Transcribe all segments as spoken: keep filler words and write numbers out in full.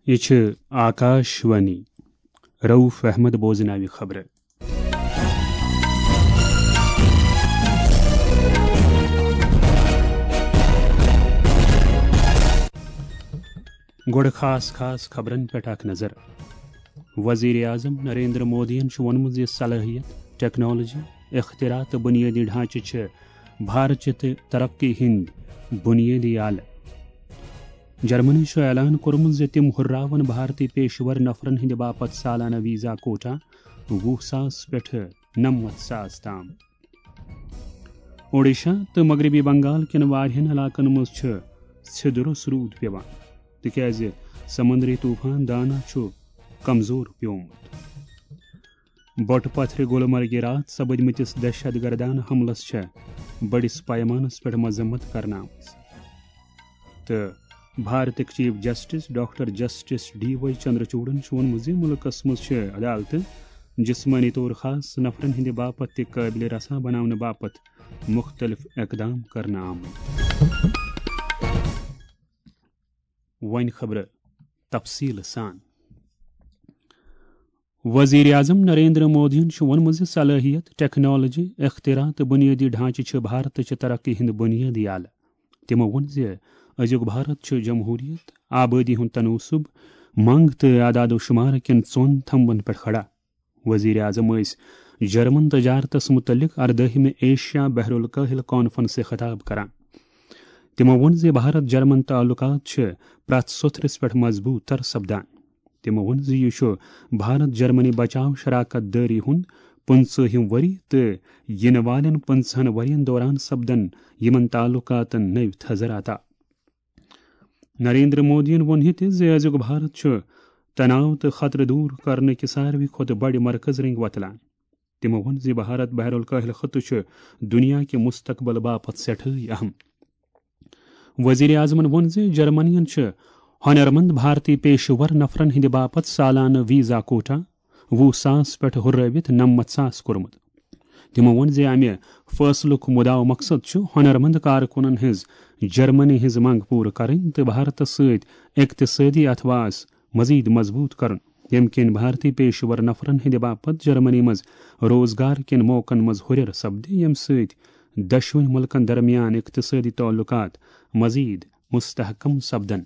یہِ چھِ آکاش وانی۔ رؤف احمد بوزناوِ خبرٕ۔ گۄڈٕ خاص خاص خبرن پٮ۪ٹھ اکھ نظر۔ وزیر اعظم نریندر مودیَن چھُ ووٚنمُت زِ صلٲحیت، ٹیکنالوجی، اختراع تہٕ بنیٲدی ڈھانچہٕ چھِ بھارت چہِ ترقی ہٕنٛدۍ بنیٲدی آلہٕ۔ جرمنی چھُ اعلان کوٚرمُت زِ تِم ہُرراون بھارتی پیشور نفرن ہٕنٛدِ باپتھ سالانہٕ ویزا کوٹا وُہ ساس پٮ۪ٹھٕ نَمَتھ ساس تام۔ اوڈیشہ تہٕ مغربی بنگال کٮ۪ن واریاہن علاقن منٛز چھُ ژھیٚدُرس روٗد پٮ۪وان، تِکیازِ سمندری طوفان دانا چھُ کمزور پیومُت۔ بۄٹہٕ پتھرِ گُلمرگہِ راتھ سپدمٕتِس دہشت گردانہٕ حملس چھےٚ بٔڑِس پیمانس پٮ۪ٹھ مذمت کرنہٕ آمٕژ۔ تہٕ بھارتٕکۍ chief justice doctor justice D Y چندرچوڑن چھُ ووٚنمُت زِ مُلکس منٛز چھِ عدالتہٕ جسمٲنی طور خاص نفرن ہٕنٛدِ باپتھ تہِ قٲبلِ رسا بناونہٕ باپتھ مُختٔلِف اقدام کرنہٕ آمٕتۍ۔ وۄنۍ خبرٕ تفصیٖل سان۔ وزیر اعظم نریندر مودیَن چھُ ووٚنمُت زِ صلٲحیت، ٹیکنالوجی، اختراع تہٕ بنیٲدی ڈھانچہٕ چھِ بھارتٕچ ترقی ہٕنٛدۍ بنیٲدی آلہٕ۔ تِمو ووٚن زِ أزیُک بھارت چھُ جمہوٗریت، آبٲدی ہُنٛد تناسب، منٛگ تہٕ اعداد و شمار کٮ۪ن ژۄن تھمبن پٮ۪ٹھ کھڑا۔ وزیر اعظم ٲسۍ جرمن تجارتس مُتعلق اردٲہمہِ ایشیا بحر الکاہل کانفرنسہِ خطاب کران۔ تِمو ووٚن زِ بھارت جرمن تعلقات چھِ پرٛٮ۪تھ سوٚتھرِس پٮ۪ٹھ مضبوٗط تر سپدان۔ تِمو ووٚن زِ یہِ چھُ بھارت جرمنی بچاو شراکت دٲری ہُنٛد پٕنٛژٕہِم ؤری تہٕ یِنہٕ والٮ۪ن پٕنٛژٕہن ؤرین دوران سپدن یِمن تعلقاتن نٔوۍ تھزر عطا۔ نریندر مودیَن ووٚن یہِ تہِ زِ أزیُک بھارت چھُ تناو تہٕ خطرٕ دوٗر کرنہٕ کہِ ساروی کھۄتہٕ بڑِ مرکز رنگ وۄتلان۔ تِمو ووٚن زِ بھارت بحر الکاہل خطہٕ چھُ دُنیا کہِ مستقبل باپتھ سٮ۪ٹھٲے اہم۔ وزیر اعظمن ووٚن زِ جرمنین چھِ ہنرمند بھارتی پیشہٕ ور نفرن ہٕنٛدِ باپتھ سالانہٕ ویزا کوٹا وُہ ساس پٮ۪ٹھ ہُرٲوِتھ نَمَتھ ساس کوٚرمُت۔ تِمو ووٚن زِ امہِ فٲصلُک مُدعا مقصد چھُ ہنرمند کارکُنن ہٕنٛز جرمنی ہٕنٛز منٛگ پوٗرٕ کرٕنۍ تہٕ بھارتس سۭتۍ اقتصٲدی اَتھواس مزید مضبوٗط کرُن، ییٚمہِ کِنۍ بھارتی پیشہٕ ور نفرن ہٕنٛدِ باپتھ جرمنی منٛز روزگار کٮ۪ن موقعن منٛز ہُرٮ۪ر سپدِ، ییٚمہِ سۭتۍ دۄشوٕنی مُلکن درمیان اقتصٲدی تعلقات مزید مستحکم سپدن۔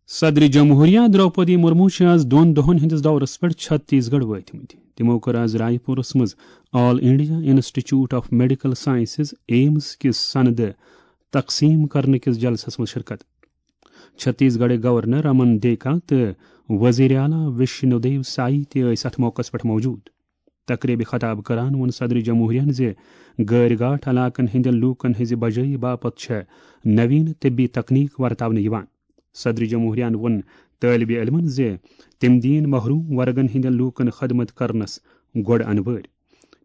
صدر جمہوریہ درٛوپدی مُرموٗ چھِ آز دۄن دۄہَن ہٕنٛدِس دورَس پٮ۪ٹھ چھتیس گڑھ وٲتمٕتۍ۔ تِمَو کٔر آز رائے پوٗرَس منٛز all India institute of medical sciences, AIIMS کِس سندٕ تقسیٖم کرنہٕ کِس جلسَس منٛز شرکت۔ چھتیس گڑھٕکۍ گورنر رمن دیکا تہٕ وزیر اعلیٰ وشنو دیو سائی تہِ ٲسۍ اَتھ موقعَس پٮ۪ٹھ موجود۔ تقریبہِ خطاب کران ووٚن صدر جمہوریہن زِ غٲرۍ گاٹھ علاقن ہٕنٛدٮ۪ن لوٗکن ہٕنٛزِ بجٲیی باپتھ چھےٚ نوین طبی تکنیک ورتاونہٕ یِوان۔ صدر جمہوریہن ووٚن طٲلبِ علمن زِ تِم دِیِن محروم ورگن ہٕنٛدٮ۪ن لوٗکن خدمت کرنس گۄڈٕ انوٲرۍ۔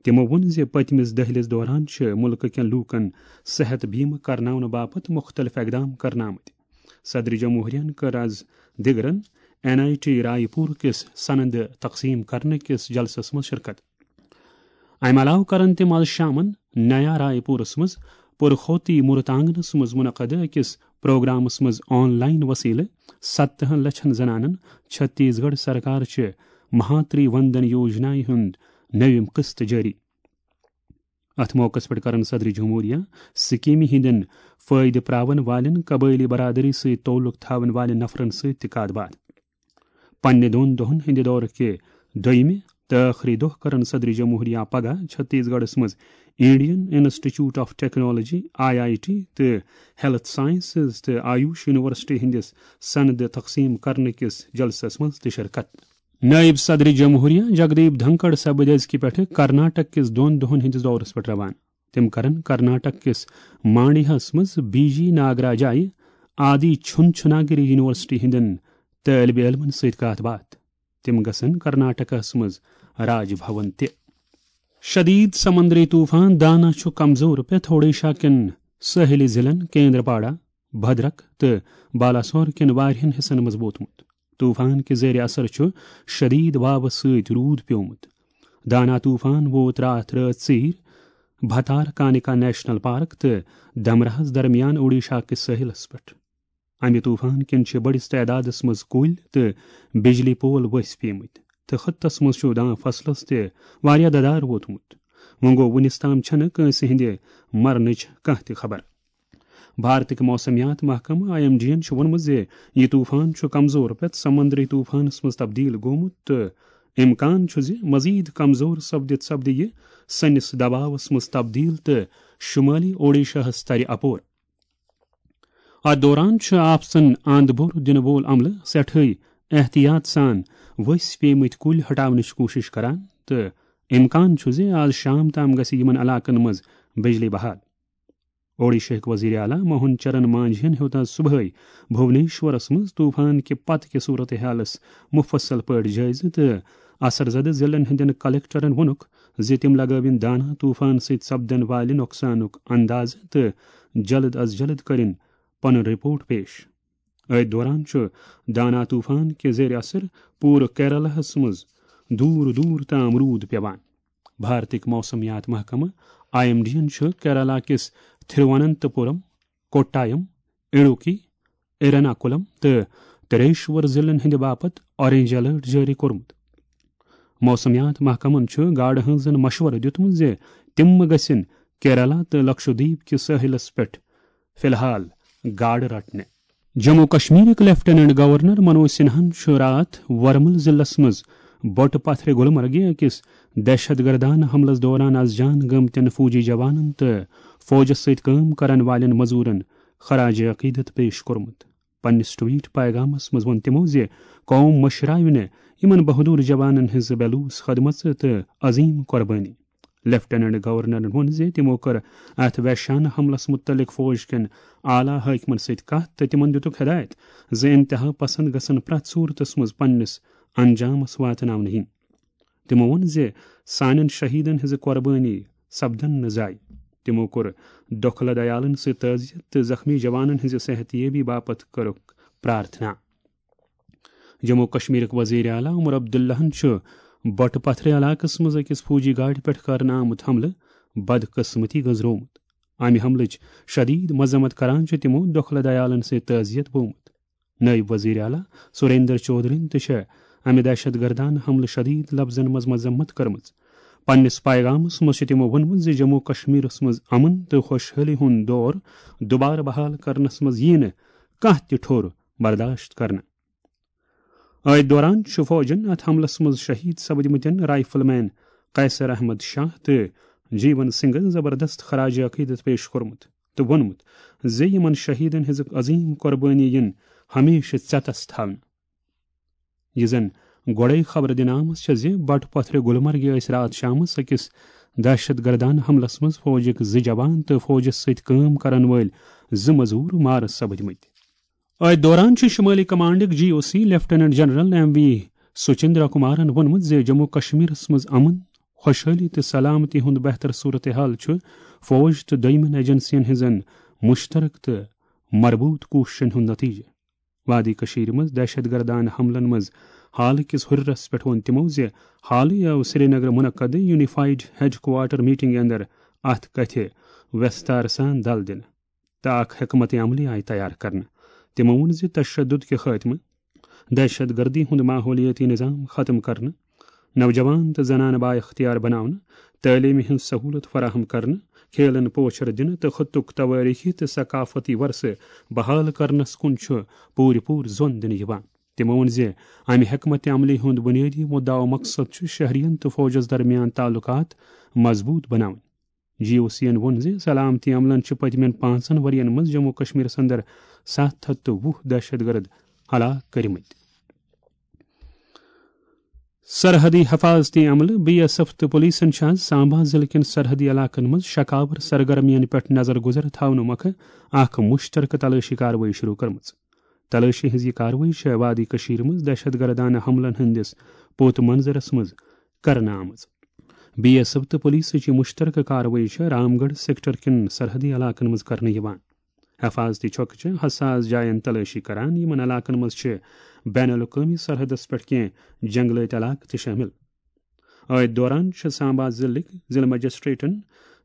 تِمو ووٚن زِ پٔتمِس دٔہلِس دوران چھِ مُلکہٕ کٮ۪ن لوٗکن صحت بیمہٕ کرناونہٕ باپتھ مُختٔلِف اقدام کرنہٕ آمٕتۍ۔ صدر جمہوریہن کٔر از دِگرن این آئی ٹی رائے پوٗر کِس سند تقسیٖم کرنہٕ کِس جلسس منٛز شرکت۔ امہِ علاوٕ کرن تِم از شامن نیا رائے پوٗرس منٛز پُرخوتی مُرتانگنس منٛز منعقد أکِس پروگرامس منٛز آن لائن وسیلہٕ ستتھن لچھن زنانن چھتیس گڑھ سرکار چہِ مہاتری وندن یوجنایہِ ہُنٛد نٔوِم قسط جٲری۔ اتھ موقعس پٮ۪ٹھ کرن صدر جمہوریہ سکیمہِ ہٕنٛدٮ۪ن فٲیدٕ پراون والٮ۪ن قبٲئلی برادری سۭتۍ تعلق تھاون والٮ۪ن نفرن سۭتۍ تہِ کتھ باتھ۔ پننہِ دۄن دۄہن ہٕنٛدِ دورٕ کہِ دوٚیمہِ تہٕ ٲخری دۄہ کرن صدر جمہوریہ پگاہ چھتیس گڑھس منٛز Indian institute of technology, I I T, تہٕ ہیلتھ سائنسز تہٕ آیوش یونیورسٹی ہٕنٛدِس سند تقسیٖم کرنہٕ کِس جلسس منٛز تہِ شرکت۔ نائب صدر جمہوریہ جگدیپ دھنکڑ سپٕدۍ أزکہِ پٮ۪ٹھٕ کرناٹک کِس دۄن دۄہن ہٕنٛدِس دورس پٮ۪ٹھ روانہٕ۔ تِم کرن کرناٹک کِس مانڈیاہس منٛز بی جی ناگراجایہِ آدی چھُن چھُناگری یونیورسٹی ہٕنٛدٮ۪ن طٲلبِ علمن سۭتۍ کتھ باتھ۔ تِم گژھن کرناٹکس منٛز راج بھون تہِ۔ شدید سمندری طوفان دانا چھُ کمزور پٮ۪تھ اوڈیشہ کٮ۪ن سٲحلی ضلعن کیندرپاڑا، بھدرک تہٕ بالاسور کٮ۪ن واریاہن حصن منٛز ووتمُت۔ طوفان کہِ زیر اثر چھُ شدید واوٕ سۭتۍ روٗد پیومُت۔ دانا طوفان ووت راتھ رٲژ ژیٖرۍ بھتار کانِکا نیشنل پارک تہٕ دمراہس درمیان اوڈیشہ کِس سٲحلس پٮ۪ٹھ۔ امہِ طوفان کِنۍ چھِ بٔڑِس تعدادس منٛز کُلۍ تہٕ بجلی پول ؤسۍ پیمٕتۍ تہٕ خطس منٛز چھُ دان فصلس تہِ واریاہ ددار ووتمُت۔ وۄنۍ گوٚو، وُنِس تام چھنہٕ کٲنٛسہِ ہٕنٛدِ مرنٕچ کانٛہہ تہِ خبر۔ بھارتٕکۍ موسمیات محکمہٕ آئی ایم ڈی ین چھُ ووٚنمُت زِ یہِ طوفان چھُ کمزور پٮ۪تھ سمندری طوفانس منٛز تبدیل گوٚمُت تہٕ امکان چھُ زِ مزید کمزور سپدِتھ سپدِ یہِ سٲنِس دباوس منٛز تبدیل تہٕ شمٲلی اوڈیشاہس ترِ اپور۔ اتھ دوران چھُ آپسن اند بور دِنہٕ وول عملہٕ سٮ۪ٹھٕے احتیاط سان ؤسۍ پیمٕتۍ کُلۍ ہٹاونٕچ کوٗشش کران تہٕ امکان چھُ زِ آز شام تام گژھِ یِمن علاقن منٛز بجلی بحال۔ اوڈیشہٕکۍ وزیر اعلیٰ موہن چرن مانجھی ین ہیوٚت آز صبحٲے بھونیشورس منٛز طوفان کہِ پتہٕ کہِ صورتحالس مفصل پٲٹھۍ جٲیزٕ تہٕ اثر زدٕ ضلعن ہٕنٛدٮ۪ن کلکٹرن ووٚنُکھ زِ تِم لگٲوِن دانا طوفان سۭتۍ سپدن والہِ نۄقصانُک اندازٕ تہٕ جلد از جلد کٔرِن پنُن رپورٹ پیش۔ أتھۍ دوران چھُ دانا طوفان کہِ زیر اثر پوٗرٕ کیرالہس منٛز دوٗر دوٗر تام روٗد پیوان۔ بھارتٕکۍ موسمیات محکمہٕ آئی ایم ڈی ین چھُ کیرالہ کِس تھرواننتپورم، کوٹایم، اڈوکی، ایرناکولم تہٕ تریشور ضلعن ہٕنٛدِ باپتھ آرنج الرٹ جٲری کوٚرمُت۔ موسمیات محکمن چھُ گاڈٕ ہٲنزن مشورٕ دیُتمُت زِ تِم مہٕ گژھن کیرالہ تہٕ لکشدیپ کِس سٲحِلس پٮ۪ٹھ فی الحال گاڈٕ رٹنہِ۔ جموں کشمیرٕکۍ لیفٹیننٹ گورنر منوج سنہاہن چھُ راتھ ورمل ضلعس منٛز بۄٹہٕ پتھرِ گلمرگہِ أکِس دہشت گردانہٕ حملس دوران از جان گٔمتٮ۪ن فوجی جوانن تہٕ فوجس سۭتۍ کٲم کرن والٮ۪ن مزورن خراج عقیدت پیش کوٚرمُت۔ پننِس ٹویٹ پیغامس منٛز ووٚن تِمو زِ قوم مٔشراوِ نہٕ یِمن بہادر جوانن ہٕنٛز بے لوث خدمژ تہٕ عظیم قربٲنی۔ لیفٹیننٹ گورنرن ووٚن زِ تِمو کٔر اتھ وحشانہ حملس مُتعلق فوج کٮ۪ن اعلیٰ حٲکمن سۭتۍ کتھ تہٕ تِمن دِتُکھ ہدایت زِ انتہا پسند گژھن پرٛٮ۪تھ صورتس منٛز پننِس انجامس واتناونہٕ یِنۍ۔ تِمو ووٚن زِ سانٮ۪ن شہیدن ہٕنٛزٕ قربٲنی سپدن نہٕ ضایع۔ تِمو کوٚر ڈوکھلہٕ دیالن سۭتۍ تعزیت تہٕ زخمی جوانن ہٕنٛزِ صحت یٲبی باپتھ کٔرٕکھ پرارتھنا۔ جموں کشمیرٕکۍ وزیر اعلیٰ عمر عبداللہن چھُ بۄٹہٕ پتھرِ علاقس منٛز أکِس فوجی گاڑِ پٮ۪ٹھ کرنہٕ آمُت حملہٕ بدقسمتی گٔنزرومُت۔ امہِ حملٕچ شدید مذمت کران چھِ تِمو ڈوکھلہٕ دیالن سۭتۍ تعزیت بومُت۔ نٲیِب وزیر اعلیٰ سریندر چودھرین تہِ چھےٚ امہِ دہشت گردانہٕ حملہٕ شدید لفظن منٛز مذمت کٔرمٕژ۔ پننِس پیغامس منٛز چھِ تِمو ووٚنمُت زِ جموں کشمیرس منٛز امن تہٕ خۄشحٲلی ہُنٛد دور دوبارٕ بحال کرنس منٛز یِیہِ نہٕ کانٛہہ تہِ ٹھوٚر برداشت کرنہٕ۔ أتھۍ دوران چھُ فوجن اتھ حملس منٛز شہید سپدمٕتٮ۪ن رائفل مین قیصر احمد شاہ تہٕ جیون سنگھن زبردست خراج عقیدت پیش کوٚرمُت تہٕ ووٚنمُت زِ یِمن شہیدن ہٕنٛز عظیم قربٲنی یِن ہمیشہٕ ژٮ۪تس تھاونہٕ۔ یہِ زن گۄڈے خبر دِنہٕ آمٕژ چھےٚ زِ بٹہٕ پتھرِ گلمرگہِ ٲسۍ راتھ شامس أکِس دہشت گردانہٕ حملس منٛز فوجٕکۍ زٕ جوان تہٕ فوجس سۭتۍ کٲم کرن وٲلۍ زٕ مزور مارٕ سپدمٕتۍ۔ أتھۍ دوران چھُ شمٲلی کمانڈٕکۍ G O C lieutenant general M V Suchindra کمارن ووٚنمُت زِ جموں کشمیرس منٛز امن، خۄشحٲلی تہٕ سلامتی ہُنٛد بہتر صورتحال چھُ فوج تہٕ دوٚیمٮ۪ن ایجنسین ہٕنٛزن مشترکہٕ تہٕ مربوط کوٗششن ہُنٛد نتیجہٕ۔ وادی کشیرِ منٛز دہشت گردانہٕ حملن منٛز حالہٕ کِس ہُرِرس پٮ۪ٹھ ووٚن تِمو زِ حالٕے آو سرینگرٕ منعقدٕ یونیفائیڈ ہیڈ کوارٹر میٹنگ اندر اتھ کتھِ وستار سان دل دِنہٕ تہٕ اکھ حکمت عملی آیہِ تیار کرنہٕ۔ تِمو ووٚن زِ تشدد کہِ خاتمہٕ، دہشت گردی ہُنٛد ماحولیٲتی نظام ختم کرنہٕ، نوجوان تہٕ زنانہٕ بااختیار بناونہٕ، تعلیمہِ ہٕنٛز سہولت فراہم کرنہٕ، کھیلن پوچھر دِنہٕ تہٕ خطُک توٲریخی تہٕ ثقافتی ورثہٕ بحال کرنس کُن چھُ پوٗرٕ پوٗرٕ زون دِنہٕ یِوان۔ تِمو ووٚن زِ امہِ حکمت عملی ہُنٛد بُنیٲدی مُدعا و مقصد چھُ شہرین تہٕ فوجس درمیان تعلقات مضبوط بناوٕنۍ۔ جی او سی ین ووٚن زِ سلامتی عملن چھِ پٔتمٮ۪ن پانٛژن ؤرین منٛز جموں کشمیرس اندر ستھ ہتھ تہٕ وُہ دہشت گرد ہلاک کٔرمٕتۍ۔ سرحدی حفاظتی عملہٕ، بی ایس ایف تہٕ پولیسن چھِ آز سامبا ضلعہٕ کٮ۪ن سرحدی علاقن منٛز شکاور سرگرمیَن پٮ۪ٹھ نظر گزر تھاونہٕ مۄکھٕ اکھ مشترکہٕ تلٲشی کاروٲیی شروع کٔرمٕژ۔ تلٲشی ہٕنٛز یہِ کاروٲیی چھےٚ وادی کشیرِ منٛز دہشت گردانہٕ حملن ہٕنٛدِس پوت منظرس منٛز کرنہٕ آمٕژ۔ بی ایس ایف تہٕ پولیسٕچ یہِ مشترکہٕ کاروٲیی چھےٚ رام گڑھ سیکٹر کٮ۪ن سرحدی علاقن منٛز کرنہٕ یِوان۔ حفاظتی چھۄکہٕ چھِ حساس جاین تلٲشی کران، یِمن علاقن منٛز چھِ بین الاقوٲمی سرحدس پٮ۪ٹھ کینٛہہ جنگلٲتۍ علاقہٕ تہِ شٲمِل۔ أتھۍ دوران چھِ سامبا ضلعٕکۍ ضلعہٕ مجسٹریٹن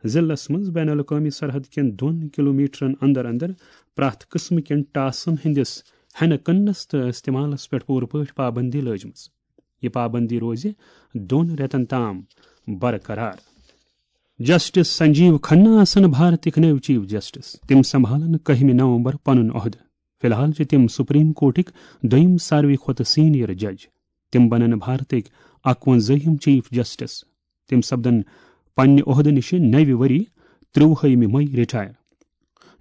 ضلعس منٛز بین الاقوٲمی سرحد کٮ۪ن دۄن کلومیٹرن اندر اندر پرٛٮ۪تھ قٕسمہٕ کٮ۪ن ٹاسن ہٕنٛدِس ہٮ۪نہٕ کٕننس تہٕ استعمالس پٮ۪ٹھ پوٗرٕ پٲٹھۍ پابندی لٲجمٕژ۔ یہِ پابندی روزِ دۄن رٮ۪تن تام برقرار۔ جسٹس سنجیو کھنہ آسن بھارتٕکۍ نٔوۍ چیف جسٹس۔ تِم سنبھالن کٔہمہِ نومبر پنُن عہدٕ۔ فی الحال چھِ تِم سپریم کورٹٕکۍ دوٚیِم ساروٕے کھۄتہٕ سینئر جج۔ تِم بنن بھارتٕکۍ اکوَنزٲہِم چیف جسٹس۔ تِم سپدن پننہِ عہدٕ نِش نَوِ ؤری ترٛۆوُہمہِ مئی رٹائر۔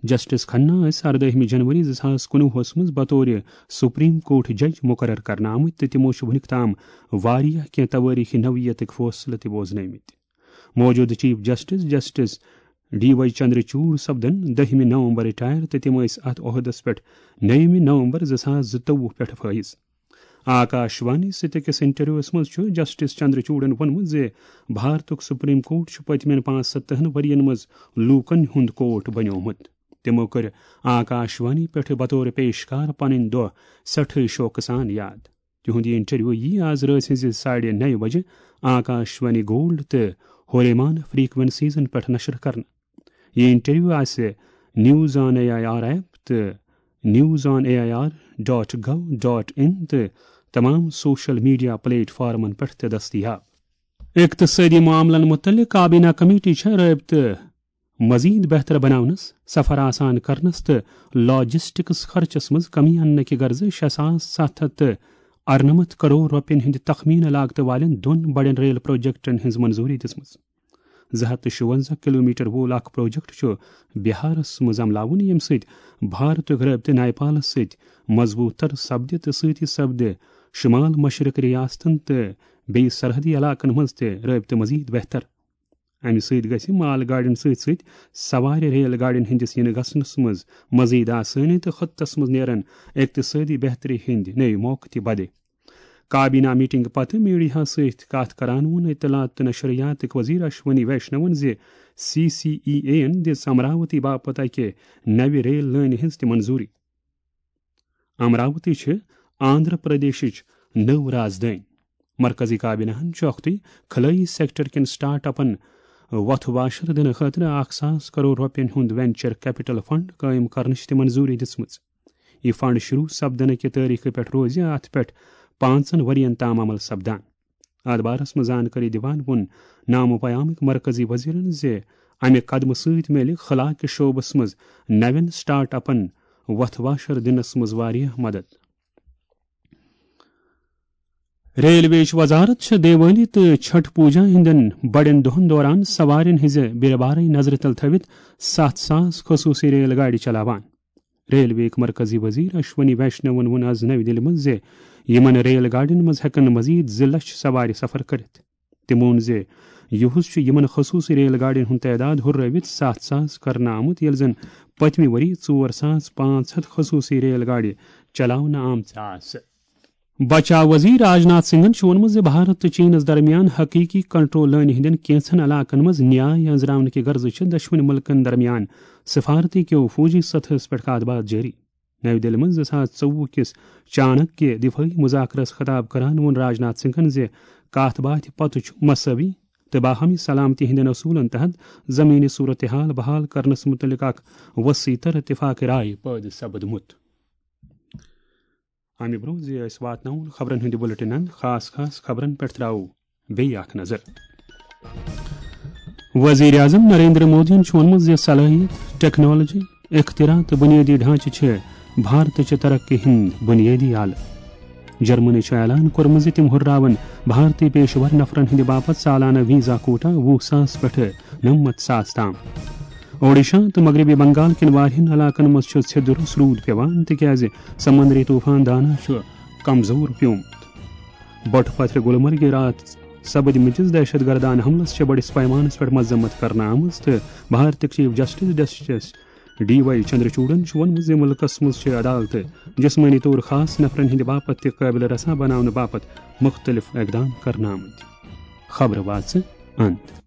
جسٹس کھنہ ٲسۍ اردٲہمہِ جنوری زٕ ساس کُنوُہس منٛز بطور سپریم کورٹ جج مقرر کرنہٕ آمٕتۍ تہٕ تِمو چھِ وُنیُک تام واریاہ کینٛہہ توٲریخی نوعیتٕکۍ فٲصلہٕ تہِ بوزنٲومٕتۍ۔ موجودٕ chief justice justice D Y Chandrachud سپدن دٔہمہِ نومبر رٹائر تہٕ تِم ٲسۍ اتھ عہدس پٮ۪ٹھ نَومہِ نومبر زٕ ساس زٕتووُہ پٮ۪ٹھ فٲیض۔ آکاش وانی سۭتۍ أکِس انٹرویوس منٛز چھُ جسٹس چندرچوڑن ووٚنمُت زِ بھارتُک سپریم کورٹ چھُ پٔتمٮ۪ن پانٛژستتھن ؤرین منٛز لوٗکن ہُنٛد کورٹ بنیومُت۔ تِمو کٔر آکاش وانی پٮ۪ٹھ بطور پیشکار پنٕنۍ دۄہ سٮ۪ٹھٕے شوقہٕ سان یاد۔ تِہُنٛد یہِ انٹرویو یِیہِ آز رٲژ ہٕنٛزِ ساڑِ نَیہِ بجہِ آکاش وانی گولڈ تہٕ ہوریمان فریکوینسیزن پٮ۪ٹھ نشر کرنہٕ۔ یہِ انٹرویو آسہِ news on A I R app تہٕ news on A I R dot gov dot in تہٕ تمام سوشل میڈیا پلیٹ فارمن پٮ۪ٹھ تہِ دٔستیاب۔ اقتصٲدی معاملن مُتعلق کابینہ کمیٹی چھےٚ رٲبطہٕ مزید بہتر بناونس، سفر آسان کرنس تہٕ لاجسٹکس خرچس منٛز کمی اننہٕ کہِ غرضہٕ شےٚ ساس ستھ ہتھ تہٕ ارنمتھ کرور رۄپین ہٕنٛدِ تخمینہٕ لاگتہٕ والٮ۪ن دۄن بڑٮ۪ن ریل پروجیکٹن ہٕنٛز منظوری دِژمٕژ۔ زٕ ہتھ تہٕ شُونزہ کلومیٹر وول اکھ پروجیکٹ چھُ بہارس منٛز عملاوُن، ییٚمہِ سۭتۍ بھارتُک رٲبطہٕ نیپالس سۭتۍ مضبوٗط تر سپدِ تہٕ سۭتی سپدِ شمال مشرق ریاستن تہٕ بیٚیہِ سرحدی علاقن منٛز تہِ رٲبطہٕ مزید بہتر۔ امہِ سۭتۍ گژھِ مال گاڑٮ۪ن سۭتۍ سۭتۍ سوارِ ریل گاڑٮ۪ن ہٕنٛدِس یِنہٕ گژھنس منٛز مزید آسٲنی تہٕ خطس منٛز نیرن اقتصٲدی بہتری ہٕنٛدۍ نٔوۍ موقعہٕ تہِ بدِ۔ کابینہ میٹنگ پتہٕ میڈیاہس سۭتۍ کتھ کران ووٚن اطلاعات تہٕ نشریاتٕکۍ وزیر اشونی ویشنون زِ سی سی ای اے یَن دِژ امراوتی باپتھ اکہِ نوِ ریل لٲنہِ ہٕنٛز تہِ منظوری۔ امراوتی چھِ آندھرا پردیشٕچ نٔو رازدٲنۍ۔ مرکزی کابینہ ہَن چھُ اکھتُے خلٲیی سیکٹر کٮ۪ن سٹارٹ اپن وۄتھٕ واشر دِنہٕ خٲطرٕ اکھ ساس کرور رۄپین ہُنٛد وینچر کیپٹل فنڈ قٲیِم کرنٕچ تہِ منظوری دِژمٕژ۔ یہِ فنڈ شروع سپدنہٕ کہِ تٲریخہٕ پٮ۪ٹھ روزِ اتھ پٮ۪ٹھ پانٛژن ؤرین تام عمل سپدان۔ اتھ بارس منٛز زانکٲری دِوان ووٚن نامہ پیامٕکۍ مرکزی وزیرن زِ امہِ قدمہٕ سۭتۍ میلہِ خلا کِس شعبس منٛز نوٮ۪ن سٹارٹ اپن وۄتھٕ واشر دِنس منٛز واریاہ مدد۔ ریلوے وزارت چھےٚ دیوالی تہٕ چھٹھ پوجا ہٕنٛدٮ۪ن بڑٮ۪ن دۄہن دوران سوارٮ۪ن ہٕنٛزِ بیرٕ بارے نظرِ تل تھٲوِتھ ستھ ساس خصوصی ریل گاڑِ چلاوان۔ ریلوے یٕکۍ مرکزی وزیر اشونی ویشنون ووٚن آز نَوِ دِلہِ منٛز زِ یِمن ریل گاڑٮ۪ن منٛز ہٮ۪کن مزید زٕ لچھ سوارِ سفر کٔرِتھ۔ تٔمۍ ووٚن زِ یُہُس چھُ یِمن خصوٗصی ریل گاڑٮ۪ن ہُنٛد تعداد ہُررٲوِتھ ستھ ساس کرنہٕ آمُت، ییٚلہِ زن پٔتمہِ ؤری ژور ساس پانٛژھ ہتھ خصوٗصی ریل گاڑِ چلاونہٕ آمژٕ آسہٕ۔ بچاو وزیر راجناتھ سنگھن چھُ ووٚنمُت زِ بھارت تہٕ چینس درمیان حقیقی کنٹرول لٲنہِ ہٕنٛدٮ۪ن کینٛژن علاقن منٛز نیاے أنٛزراونہٕ کہِ غرضہٕ چھِ دۄشوٕنی مُلکن درمیان سفارتی کیو فوجی سطحس پٮ۪ٹھ کتھ باتھ جٲری۔ نَوِ دِلہِ منٛز زٕ ساس ژوٚوُہ کِس چانک کہِ دفٲعی مذاکرس خطاب کران ووٚن راجناتھ سنگھن زِ کتھ باتھِ پتہٕ چھُ مساوی تہٕ باہمی سلامتی ہٕنٛدٮ۪ن اصوٗلن تحت زمینی صورتحال بحال کرنس مُتعلق اکھ وسیع تر اتفاق رائے پٲدٕ سپدمُت۔ امہِ برونٛہہ زِ أسۍ واتناوون خبرن ہٕنٛدِ بُلٹنن خاص خاص خبرن پٮ۪ٹھ، ترٛاوو بیٚیہِ اکھ نظر۔ وزیر اعظم نریندر مودیَن چھُ ووٚنمُت زِ صلٲحیت، ٹیکنالوجی، اختراع تہٕ بنیٲدی ڈھانچہٕ چھِ بھارتٕچہِ ترقی ہٕنٛدۍ بنیٲدی آلہٕ۔ جرمنی چھُ اعلان کوٚرمُت زِ تِم ہُرراون بھارتی پیشور نفرن ہٕنٛدِ باپتھ سالانہٕ ویزا کوٹا وُہ ساس پٮ۪ٹھٕ نَمَتھ ساس تام۔ اوڈیشہ تہٕ مغربی بنگال کٮ۪ن واریاہن علاقن منٛز چھُ ژھیٚدُر روٗد پٮ۪وان، تِکیازِ سمندری طوفان دانا چھُ کمزور پیومُت۔ بۄٹہٕ پتھرِ گلمرگہِ راتھ سپدمٕتِس دہشت گردانہ حملس چھےٚ بٔڑِس پیمانس پٮ۪ٹھ مذمت کرنہٕ آمٕژ تہٕ بھارتٕکۍ chief justice justice D Y چندرچوڑن چھُ ووٚنمُت زِ مُلکس منٛز چھِ عدالتہٕ جسمٲنی طور خاص نفرن ہٕنٛدِ باپتھ تہِ قٲبلِ رساں بناونہٕ باپتھ مُختٔلِف اقدام کرنہٕ آمٕتۍ۔ خبرٕ واژٕ اند۔